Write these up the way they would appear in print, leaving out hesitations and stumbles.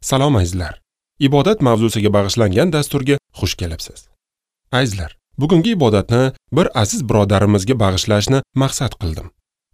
Salom azizlar. Ibodat mavzusiga bag'ishlangan dasturga xush kelibsiz. Azizlar, bugungi ibodatni bir aziz birodarimizga bag'ishlashni maqsad qildim.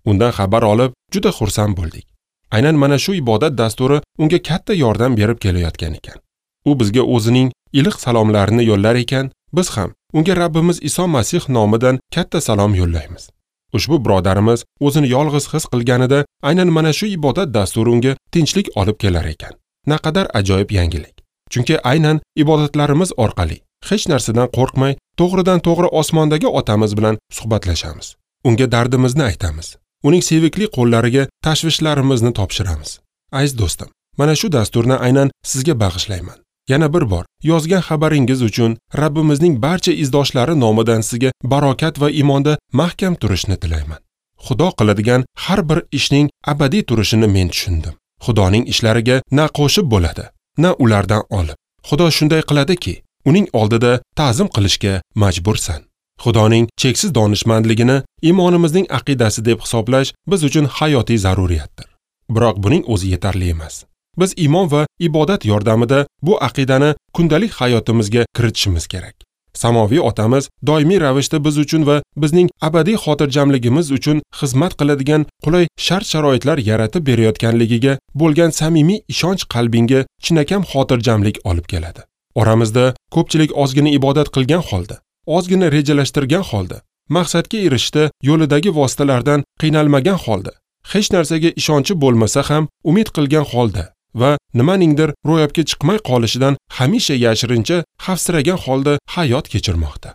Undan xabar olib juda xursand bo'ldik. Aynan mana shu ibodat dasturi unga katta yordam berib kelayotgan ekan. U bizga o'zining iliq salomlarini yo'llar ekan, biz ham unga Rabbimiz Iso Masih nomidan katta salom yo'llaymiz. Ushbu birodarimiz o'zini yolg'iz his qilganida aynan mana shu ibodat dasturi unga tinchlik olib kelar ekan. Naqadar ajoyib yangilik. Chunki aynan ibodatlarimiz orqali hech narsadan qo'rqmay, to'g'ridan to'g'ri osmondagi otamiz bilan suhbatlashamiz. Unga dardimizni aytamiz. Uning sevikli qo'llariga tashvishlarimizni topshiramiz. Aziz do'stim, mana shu dasturni aynan sizga bag'ishlayman. Yana bir bor yozgan xabaringiz uchun Rabbimizning barcha izdoshlari nomidan sizga barokat va iymonda mahkam turishni tilayman. Xudo qiladigan har bir ishning abadiy turishini men tushundim. Xudoning ishlariga na qo'shib bo'ladi, na ulardan olib. Xudo shunday qiladiki, uning oldida ta'zim qilishga majbursan. Xudoning cheksiz donishmandligini iymonimizning aqidasi deb hisoblash biz uchun hayotiy zaruriyatdir. Biroq buning o'zi yetarli emas. Biz iymon va ibodat yordamida bu aqidani kundalik hayotimizga kiritishimiz kerak. Samoviy otamiz doimiy ravishda biz uchun va bizning abadiy xotirjamligimiz uchun xizmat qiladigan qulay shart-sharoitlar yaratib berayotganligiga bo'lgan samimiy ishonch qalbingga chinakam xotirjamlik olib keladi. Oramizda ko'pchilik ozgina ibodat qilgan holda, ozgina rejalashtirgan holda, maqsadga erishishda yo'lidagi vositalardan qiynalmagan holda, hech narsaga ishonchi bo'lmasa ham umid qilgan holda va nimaningdir ro'yobga chiqmay qolishidan hamisha yashirincha xavfsiragan holda hayot kechirmoqda.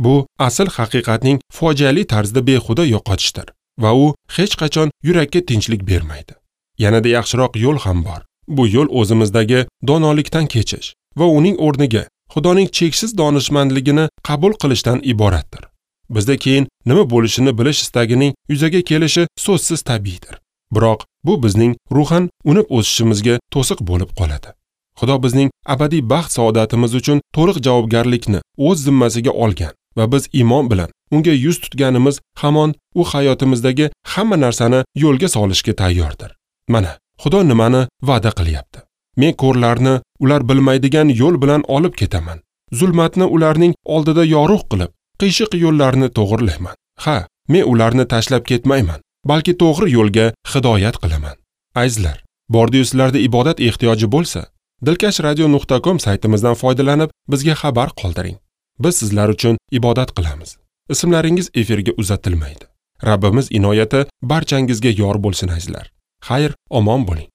Bu asl haqiqatning fojiali tarzda behuda yo'qotishdir va u hech qachon yurakka tinchlik bermaydi. Yanada yaxshiroq yo'l ham bor. Bu yo'l o'zimizdagi donolikdan kechish va uning o'rniga Xudoning cheksiz donishmandligini qabul qilishdan iboratdir. Bizda keyin nima bo'lishini bilish istagining yuzaga kelishi so'zsiz tabiiydir. Biroq bu bizning ruhan unib o'sishimizga to'siq bo'lib qoladi. Xudo bizning abadiy baxt saodatimiz uchun to'liq javobgarlikni o'z zimmasiga olgan va biz iymon bilan unga yuz tutganimiz hamon u hayotimizdagi hamma narsani yo'lga solishga tayyordir. Mana Xudo nimani va'da qilyapti. Men ko'rlarni ular bilmaydigan yo'l bilan olib ketaman. Zulmatni ularning oldida yorug' qilib, qiyshiq yo'llarni to'g'rilayman. Ha, men ularni tashlab ketmayman, balki to'g'ri yo'lga hidoyat qilaman. Azizlar, bordiyu sizlarda ibodat ehtiyoji bo'lsa, dilkashradio.com saytimizdan foydalanib bizga xabar qoldiring. Biz sizlar uchun ibodat qilamiz. Ismlaringiz efirga uzatilmaydi. Rabbimiz inoyati barchangizga yor bo'lsin azizlar. Xayr, omon bo'ling.